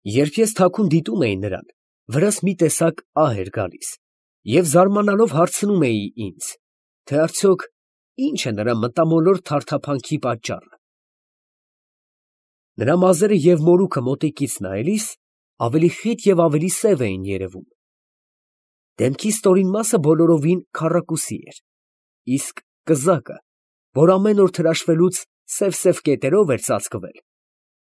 Երբ ես թաքուն դիտում էի նրան, վրաս մի տեսակ ահ էր գալիս, և զարմանալով հարցնում էի ինձ, թե արդյոք ի՞նչ է նրա մտամոլոր թարթափանքի պատճառը։ Նրա մազերը և մորուքը մոտիկից նայելիս ավելի խիտ և ավելի սև էին երևում։ Դեմքի ստորին մասը բոլորովին քառակուսի էր, իսկ կզակը, որ ամեն օր թրաշվելուց սև կետերով էր ծածկվել,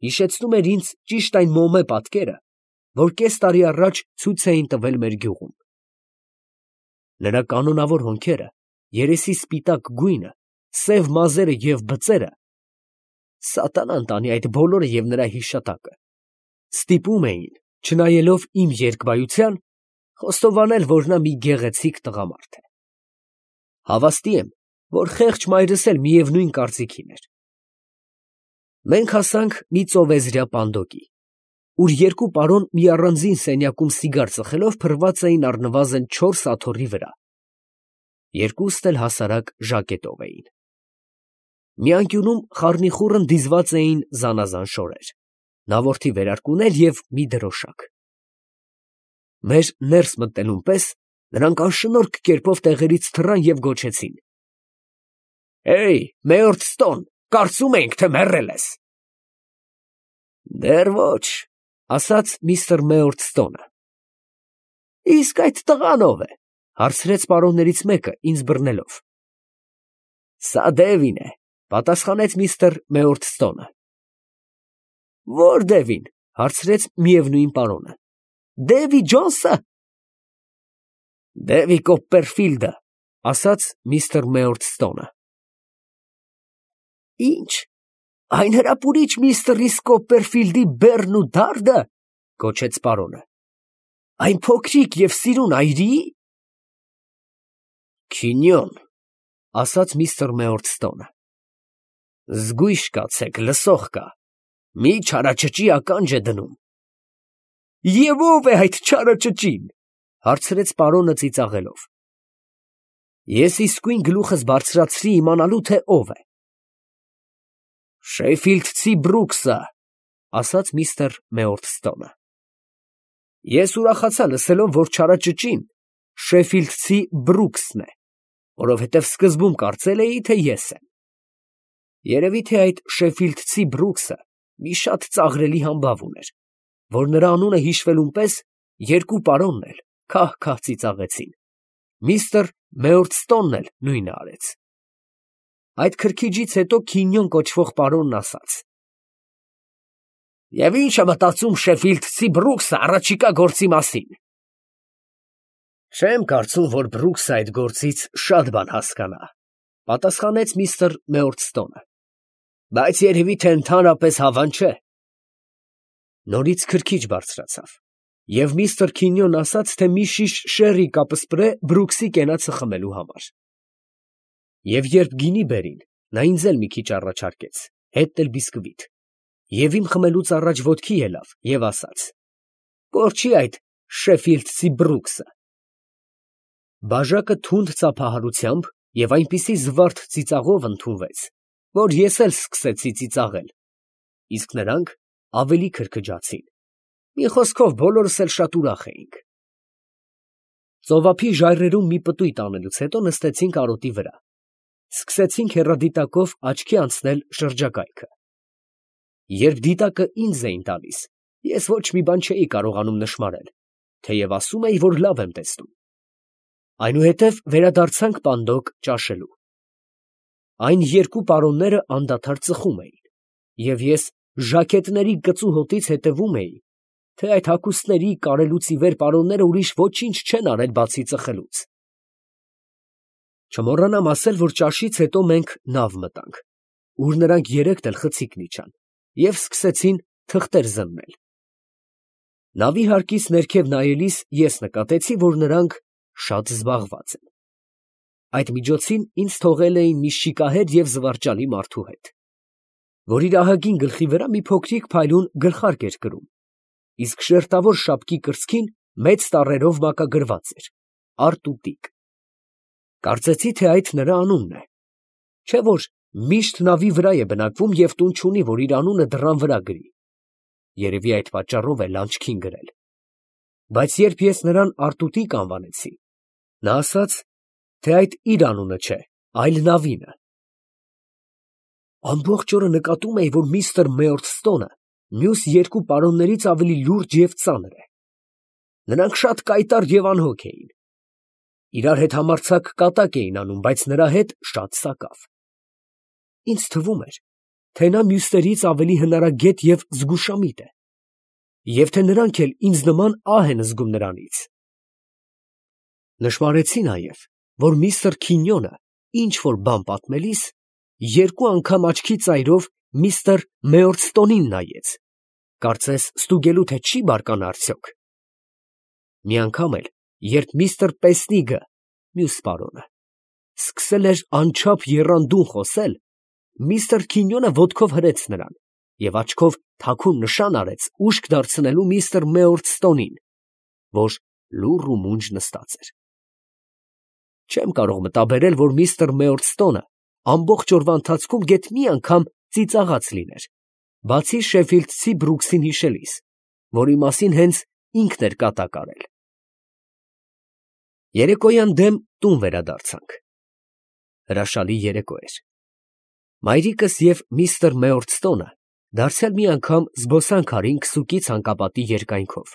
հիշեցնում էր ինձ ճիշտ այն մոմե պատկերը, որ կես տարի առաջ ցույց էին տվել մեր գյուղում։ Նրա կանոնավոր հոնքերը, երեսի սպիտակ գույնը, սև մազերը և բծերը (սատանան տանի այդ բոլորը և նրա հիշատակը) ստիպում էին, չնայելով իմ երկբայության, խոստովանել, որ նա մի գեղեցիկ տղամարդ է։ Հավաստի եմ, որ խեղճ մայրս էլ միևնույն կարծիքին էր։ Մենք հասանք մի ծովեզրյա պանդոկի, ուր երկու պարոն մի առանձին սենյակում սիգար ծխելով փռված էին առնվազն 4 աթոռի վրա, երկուստ էլ հասարակ ժակետով էին։ Մի անկյունում խառնիխուռն դիզված էին զանազան շորեր, նավորդի վերարկուներ և մի դրոշակ։ Մեր ներս մտնելուն պես նրանք անշնորհք կերպով տեղերից թռան և գոչեցին. «Հեյ, Մեյորթստոն, կարծում էինք, թե մեռել ես»։ «Դեռ ոչ», ֊ ասաց միստր Մեյորթստոնը։ «Իսկ այդ տղան ո՞վ է», ֊ հարցրեց պարոններից մեկը, ինձ բռնելով։ «Սա Դևին է», ֊ պատասխանեց միստր Մեյորթստոնը։ «Ո՞ր Դևին», ֊ հարցրեց միևնույն պարոնը։ «Դևի Ջոնսը»։ «Դևի Կոպպերֆիլդը», ֊ ասաց միստր Մեյորթստոնը։ «Ի՞նչ, այն հրապուրիչ միստր Կոպպերֆիլդի բեռն ու դարդը», ֊ գոչեց պարոնը, «այն փոքրիկ և սիրուն այրի՞»։ «Քինյոն», ֊ ասաց միստր Մեյորթստոնը։ «Զգույշ կացեք, լսող կա, մի չարաճճի ականջ է դնում»։ «Եվ ո՞վ է այդ չարաճճին», ֊ հարցրեց պարոնը ծիծաղելով։ Ես իսկույն գլուխս բարձրացրի իմանալու, թե ով է։ «Շեֆիլդցի Բրուքսը», ֊ ասաց միստր Մեյորթստոնը։ Ես ուրախացա լսելով, որ չարաճճին Շեֆիլդցի Բրուքսն է, որովհետև սկզբում կարծել էի, թե ես եմ։ Երևի թե այդ Շեֆիլդցի Բրուքսը մի շատ ծաղրելի համբավ ուներ, որ նրա անունը հիշվելուն պես երկու պարոնն էլ քահ ծիծաղեցին, միստր Մեյորթստոնն էլ նույնը արեց։ Այդ քրքիջից հետո Քինյոն կոչվող պարոնն ասաց. «Եվ ի՞նչ է մտածում Շեֆիլդցի Բրուքսը առաջիկա գործի մասին»։ «Չեմ կարծում, որ Բրուքսը այդ գործից շատ բան հասկանա», ֊ պատասխանեց միստր Մեյորթստոնը, «բայց երևի թե ընդհանրապես հավան չէ»։ Նորից քրքիջ բարձրացավ, և միստր Քինյոն ասաց, թե մի շիշ շեռի կապսպրե Բրուքսի կենացը խմելու համար։ Եվ երբ գինի բերին, նա ինձ էլ մի քիչ առաջարկեց, հետն էլ բիսկվիթ, և իմ խմելուց առաջ ոտքի ելավ և ասաց. «Կորչի այդ Շեֆիլդցի Բրուքսը»։ Բաժակը թունդ ծափահարությամբ և այնպիսի զվարթ ծիծաղով ընդունվեց, որ ես էլ սկսեցի ծիծաղել, իսկ նրանք ավելի քրքջացին, մի խոսքով բոլորս էլ շատ ուրախ էինք։ Ծովափի ժայռերում մի պտույտ անելուց հետո նստեցինք արոտի վրա, սկսեցինք հեռադիտակով աչքի անցնել շրջակայքը։ Երբ դիտակը ինձ էին տալիս, ես ոչ մի բան չէի կարողանում նշմարել, թեև ասում էի, որ լավ եմ տեսնում։ Այնուհետև վերադարձանք պանդոկ ճաշելու։ Այն երկու պարոնները անդադար ծխում էին, և ես ժակետների կծու հոտից հետևում էի, թե այդ հագուստների կարելուց ի վեր պարոնները ուրիշ ոչինչ չեն արել, բացի ծխելուց։ Չմոռանամ ասել, որ ճաշից հետո մենք նավ մտանք, ուր նրանք երեքն էլ խցիկն իջան և սկսեցին թղթեր զննել։ Նավի հարկից ներքև նայելիս ես նկատեցի, որ նրանք շատ զբաղված են։ Այդ միջոցին ինձ թողել էին մի շիկահեր և զվարճալի մարդու հետ, որ իր ահագին գլխի վրա մի փոքրիկ փայլուն գլխարկ էր կրում, իսկ շերտավոր շապկի կրծքին մեծ տառերով մակագրված էր՝ Արտուտիկ։ Կարծեցի, թե այդ նրա անունն է, չէ՞ որ միշտ նավի վրա է բնակվում և տուն չունի, որ իր անունը դռան վրա գրի։ երևի այդ պատճառով էլ աչքին գրել։ Բայց երբ ես նրան Արտուտիկ անվանեցի, նա ասաց, թե այդ իր անունը չէ, այլ Նավինը։ Ամբողջ օրը նկատում էի, որ միստր Մեյորսթոնը մյուս երկու պարոններից ավելի լուրջ և ծանր է։ Նրանք շատ կայտառ և անհոգ էին։ Իրար հետ համարձակ կատակ էին անում, բայց նրա հետ շատ սակավ։ Ինձ թվում էր, թե նա մյուսներից ավելի հնարագետ և զգուշամիտ է, և թե նրանք էլ ինձ նման ահ են զգում նրանից։ Նշմարեցի նաև, որ միստր Քինյոնը ինչ֊որ բան պատմելիս երկու անգամ աչքի ծայրով միստր Մեյորսթոնին նայեց, կարծես ստուգելու, թե չի բարկանա արդյոք։ Մի անգամ էլ, երբ միստր Պեսնիգը, մյուս պարոնը, սկսել էր անչափ եռանդուն խոսել, միստր Քինյոնը ոտքով հրեց նրան և աչքով թաքուն նշան արեց ուշք դարձնելու միստր Մեյորսթոնին, որ լուռ ու մունջ նստած էր։ Չեմ կարող մտաբերել, որ միստր Մեյորսթոնը ամբողջ օրվա ընթացքում գեթ մի անգամ ծիծաղած լիներ, բացի շեֆիլդցի Բրուքսին հիշելիս, որի մասին հենց ինքն էր կատակ արել։ Երեկոյան դեմ տուն վերադարձանք։ Հրաշալի երեկո էր։ Մայրիկս և միստր Մեյորսթոնը դարձյալ մի անգամ զբոսանք արին քսուկի ցանկապատի երկայնքով,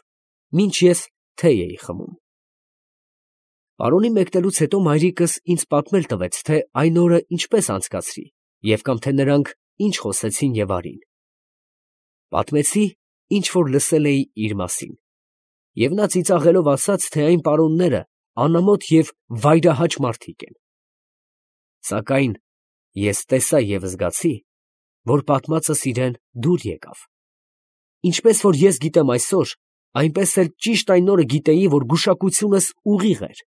մինչ ես թեյ էի խմում։ Պարոնի մեկնելուց հետո մայրիկս ինձ պատմել տվեց, թե այն օրը ինչպես անցկացրի և կամ թե նրանք ինչ խոսեցին և արին։ Պատմեցի, ինչ որ լսել էի իր մասին, և նա ծիծաղելով ասաց, թե այն պարոնները անամոթ և վայրահաճ մարդիկ են։ Սակայն ես տեսա և զգացի, որ պատմածս իրան դուր եկավ։ Ինչպես որ ես գիտեմ այսօր, այնպես էլ ճիշտ այն օրը գիտեի, որ գուշակությունս ուղիղ էր։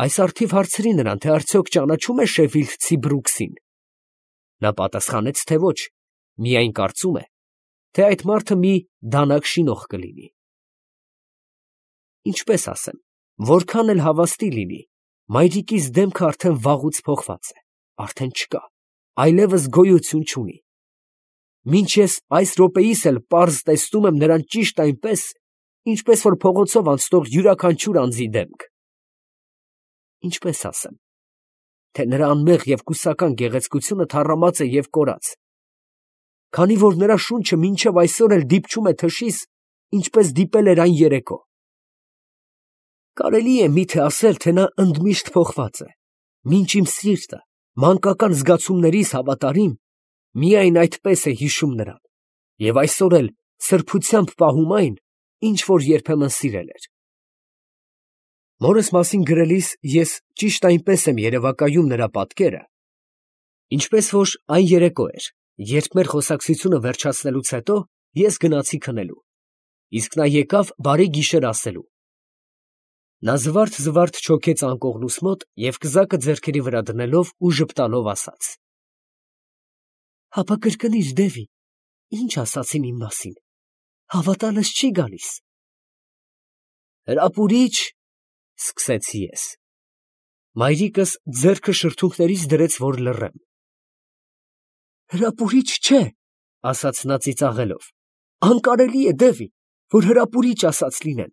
Այս առթիվ հարցրի նրան, թե արդյոք ճանաչում է շեֆիլդցի Բրուքսին։ Նա պատասխանեց, թե ոչ, միայն կարծում է, թե այդ մարդը մի դանակ շինող կլինի։ Ինչպես ասեմ, որքան էլ հավաստի լինի, մայրիկիս դեմքը արդեն վաղուց փոխված է, արդեն չկա, այլևս գոյություն չունի։ Մինչ ես այս րոպեիս էլ պարզ տեսնում եմ նրան ճիշտ այնպես, ինչպես որ փողոցով անցնող յուրաքանչյուր անձի դեմք։ Ինչպես ասեմ, թե նրա անմեղ և կուսական գեղեցկությունը թառամած է և կորած, քանի որ նրա շունչը մինչև այսօր էլ դիպչում է թշիս, ինչպես դիպել էր այն երեկո։ Կարելի է միթե ասել, թե նա ընդմիշտ փոխված է, մինչ իմ սիրտը, մանկական զգացումներիս հավատարիմ, միայն այդպես է հիշում նրան, և այսօր էլ սրբությամբ պահում այն, ինչ որ երբեմն սիրել էր։ Մորս մասին գրելիս ես ճիշտ այնպես եմ երևակայում նրա պատկերը, ինչպես որ այն երեկո էր, երբ մեր խոսակցությունը վերջացնելուց հետո ես գնացի քնելու, իսկ նա եկավ բարի գիշեր ասելու։ Նա զվարթ չոքեց անկողնուս մոտ և կզակը ձեռքերի վրա դնելով ու ժպտալով ասաց. «Հապա կրկնիր, Դևի, ինչ ասացին իմ մասին, հավատալս չի գալիս»։ «Հրապուրիչ», սկսեցի ես։ Մայրիկս ձեռքը շրթունքներիս դրեց, որ լռեմ։ «Հրապուրիչ չէ», ասաց նա ծիծաղելով, «անկարելի է, Դևի, որ հրապուրիչ ասած լինեն,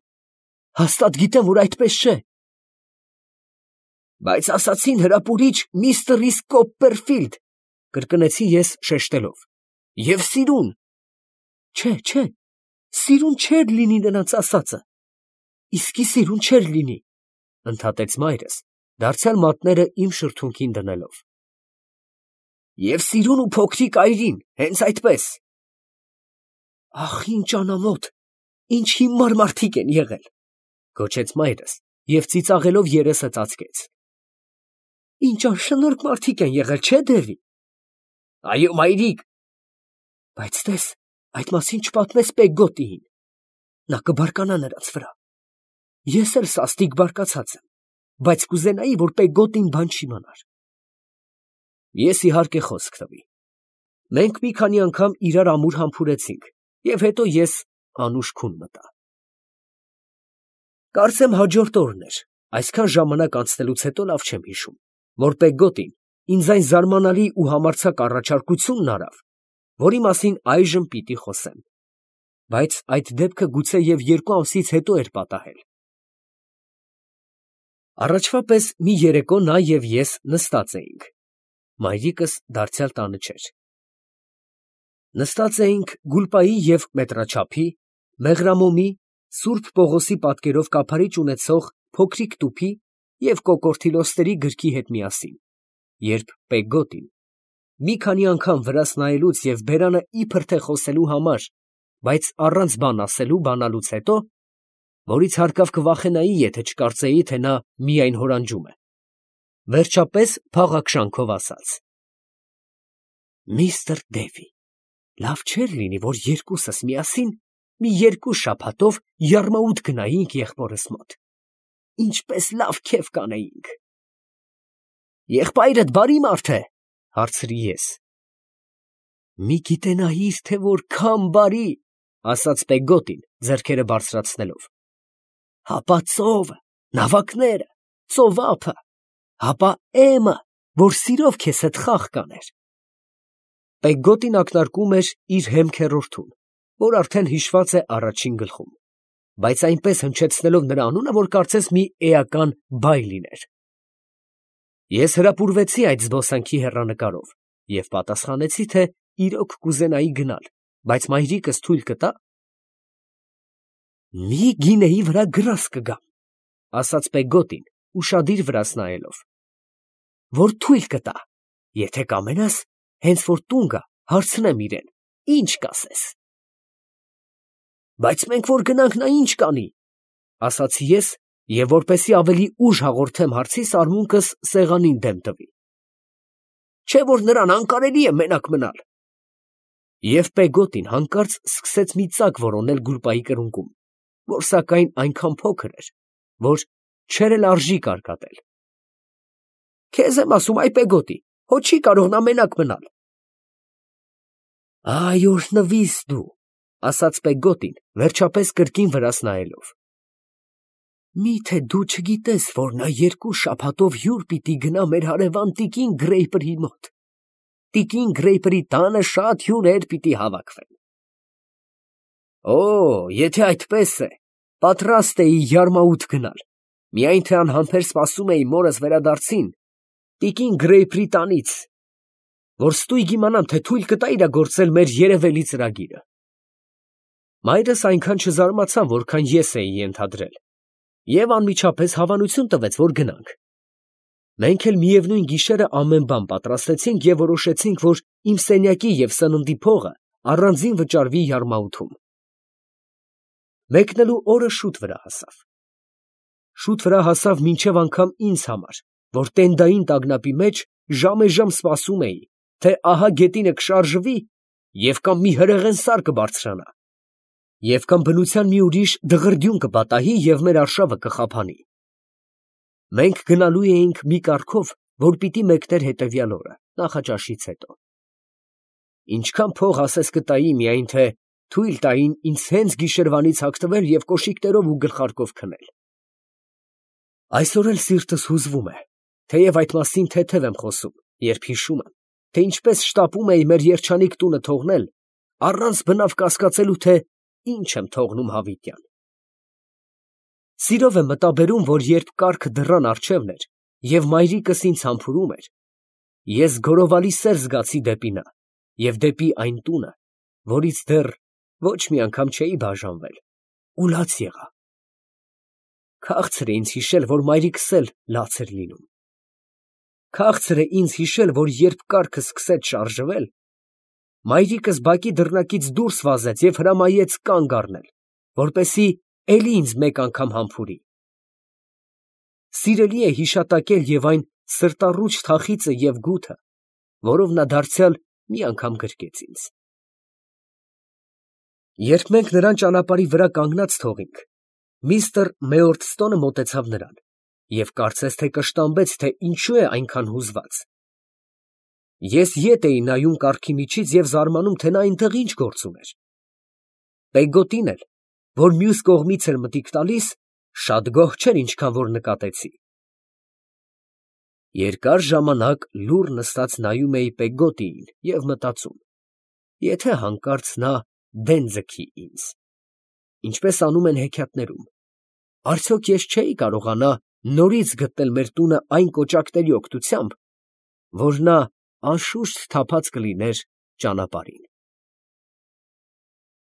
հաստատ գիտեմ, որ այդպես չէ»։ «Բայց ասացին հրապուրիչ միստր Կոպպերֆիլդ», կրկնեցի ես շեշտելով, «և սիրուն»։ Չէ, սիրուն չէր լինի նրանց ասածը, իսկի սիրուն չէր լինի, ընդհատեց մայրս, դարձյալ մատները իմ շրթունքին դնելով։ «Եվ սիրուն ու փոքրիկ այրին, հենց այդպես»։ «Ախ, ինչ անամոթ, ինչ հիմար մարդիկ են եղել», գոչեց մայրս և ծիծաղելով երեսը ծածկեց։ «Ինչ անշնորհք մարդիկ են եղել, չէ՞, Դևի»։ «Այո, մայրիկ»։ «Բայց տես, այդ մասին չպատմես Պեգգոտիին, նա կբարկանա նրանց վրա։ Ես էլ սաստիկ բարկացած եմ, բայց կուզենայի, որ Պեգգոտին բան չիմանար»։ Ես իհարկե խոսք տվի։ Մենք մի քանի անգամ իրար ամուր համբուրեցինք, և հետո ես անուշ քուն մտա։ Կարծեմ հաջորդ օրն էր, այսքան ժամանակ անցնելուց հետո լավ չեմ հիշում, որ Պեգգոտին ինձ այն զարմանալի ու համարձակ առաջարկությունն արավ, որի մասին այժմ պիտի խոսեմ, բայց այդ դեպքը գուցե և 2 ամսից հետո էր պատահել։ Առաջվա պես մի երեկո նա և ես նստած էինք. մայրիկս դարձյալ տանը չէր։ Նստած էինք Գուլպայի և մետրաչափի, մեղրամոմի, Սուրբ Պողոսի պատկերով կափարիչ ունեցող փոքրիկ տուփի և կոկորդիլոստերի գրքի հետ միասին, երբ Պեգոտին, մի քանի անգամ վրաս նայելուց և բերանը իբր թե խոսելու համար, բայց առանց բան ասելու բանալուց հետո, որից հարկավ կվախենայի, եթե չկարծեի, թե նա միայն հորանջում է, վերջապես փաղաքշանքով ասաց. «Միստր Դեվի, լավ չէր լինի, որ երկուսս միասին մի 2 շաբաթով Յարմաուտ գնայինք եղբորս մոտ, ինչպես լավ քեֆ կանեինք»։ «Եղբայրդ բարի մարդ է, ֊ հարցրի ես։ ֊ Մի գիտենայիր, թե որքան բարի, ֊ ասաց Պեգոտին, ձեռքերը բարձրացնելով։ ֊ Հապա ծովը, նավակները, ծովափը, հապա էմը, որ սիրով քեզ հետ խաղ կաներ։ Պեգոտին ակնարկում էր իր հեմ քեռորդուն, որ արդեն հիշված է առաջին գլխում, բայց այնպես հնչեցնելով նրա անունը, որ կարծես մի էական բայ լիներ։ Ես հրապուրվեցի այդ զբոսանքի հեռանկարով և պատասխանեցի, թե իրոք կուզենայի գնալ, բայց մայրիկս թույլ կտա։ «Մի գինեի վրա գրազ կգամ, ֊ ասաց Պեգոտին, ուշադիր վրաս նայելով, ֊ որ թույլ կտա, եթե կամենաս, հենց որ տուն գա, հարցնեմ իրան, ինչ կասես»։ «Բայց մենք որ գնանք, նա ինչ կանի, ֊ ասացի ես, և որպեսզի ավելի ուժ հաղորդեմ հարցիս, արմունկս սեղանին դեմ տվի, ֊ չէ՞ որ նրան անկարելի է մենակ մնալ»։ Եվ Պեգոտին հանկարծ սկսեց մի ծակ որոնել Գուլպայի կրունկում, որ սակայն այնքան փոքր էր, որ չէր էլ արժի կարկատել։ «Քեզ եմ ասում, այ Պեգոտի, հո չի կարող նա մենակ մնալ»։ «Այ օրհնվիս դու, ֊ ասաց Պեգոտին, վերջապես կրկին վրաս նայելով, ֊ մի՞թե դու չգիտես, որ նա 2 շաբաթով հյուր պիտի գնա մեր հարևան տիկին Գրեյպրի մոտ. տիկին Գրեյպրի տանը շատ հյուրեր պիտի հավաքվեն։ Օ, եթե այդպես է, պատրաստ էի Յարմաուտ գնալ, միայն թե անհամբեր սպասում էի մորս վերադարձին տիկին Գրեյպրի տանից, որ ստույգ իմանամ, թե թույլ կտա իրագործել մեր երևելի ծրագիրը։ Մայրս այնքան չզարմացավ, որքան ես էի ենթադրել, և անմիջապես հավանություն տվեց, որ գնանք։ Մենք էլ միևնույն գիշերը ամեն բան պատրաստեցինք և որոշեցինք, որ իմ սենյակի և սննդի փողը առանձին վճարվի Յարմաուտում։ Մեկնելու օրը շուտ վրա հասավ։ Շուտ վրա հասավ մինչև անգամ ինձ համար, որ տենդային տագնապի մեջ ժամեժամ սպասում էի, թե ահա գետինը կշարժվի և կամ մի հրեղեն սար կբարձրանա, և կամ բնության մի ուրիշ դղրդյուն կպատահի և մեր արշավը կխաբանի։ Մենք գնալու էինք մի կարգով, որ պիտի մեկներ հետևյալ օրը, նախաճաշից հետո։ Ինչքան փող ասես կտայի, միայն թե թույլ տային ինձ հենց գիշերվանից հագնվել և կոշիկներով ու գլխարկով քնել։ Այսօր էլ սիրտս հուզվում է, թեև այդ մասին թեթև եմ խոսում, երբ հիշում եմ, թե ինչպես շտապում էի մեր երջանիկ տունը թողնել, առանց բնավ կասկածելու, թե ինչ եմ թողնում հավիտյան։ Սիրով եմ մտաբերում, որ երբ կառքը դռան առջևն էր և մայրիկս ինձ համբուրում էր, ես գորովալի սեր զգացի դեպի նա և դեպի այն տունը, որից դեռ ոչ մի անգամ չէի բաժանվել, ու լաց եղա։ Քաղցր է ինձ հիշել, որ մայրիկս էլ լաց էր լինում։ Քաղցր է ինձ հիշել, որ երբ կառքը սկսեց շարժվել, մայրիկս բակի դռնակից դուրս վազեց և հրամայեց կանգ առնել, որպեսզի էլի ինձ մեկ անգամ համբուրի։ Սիրելի է հիշատակել և այն սրտառուչ թախիծը և գութը, որով նա դարձյալ մի անգամ գրկեց ինձ։ Երբ մենք նրան ճանապարհի վրա կանգնած թողինք, միստր Մեորդստոնը մոտեցավ նրան և կարծես թե կշտամբեց, թե ինչու է այնքան հուզված։ Ես ետ էի նայում կառքի միջից և զարմանում, թե նա այնտեղ ինչ գործ ուներ։ Պեգոտին էլ, որ մյուս կողմից էր մտիկ տալիս, շատ գոհ չէր, ինչքան որ նկատեցի։ Երկար ժամանակ լուռ նստած նայում էի Պեգոտիին և մտածում. եթե հանկարծ նա դեն ձգի ինձ, ինչպես անում են հեքիաթներում, արդյոք ես չէի կարողանա նորից գտնել մեր տունը այն կոճակների օգնությամբ, որ նա անշուշտ թափած կլիներ ճանապարհին։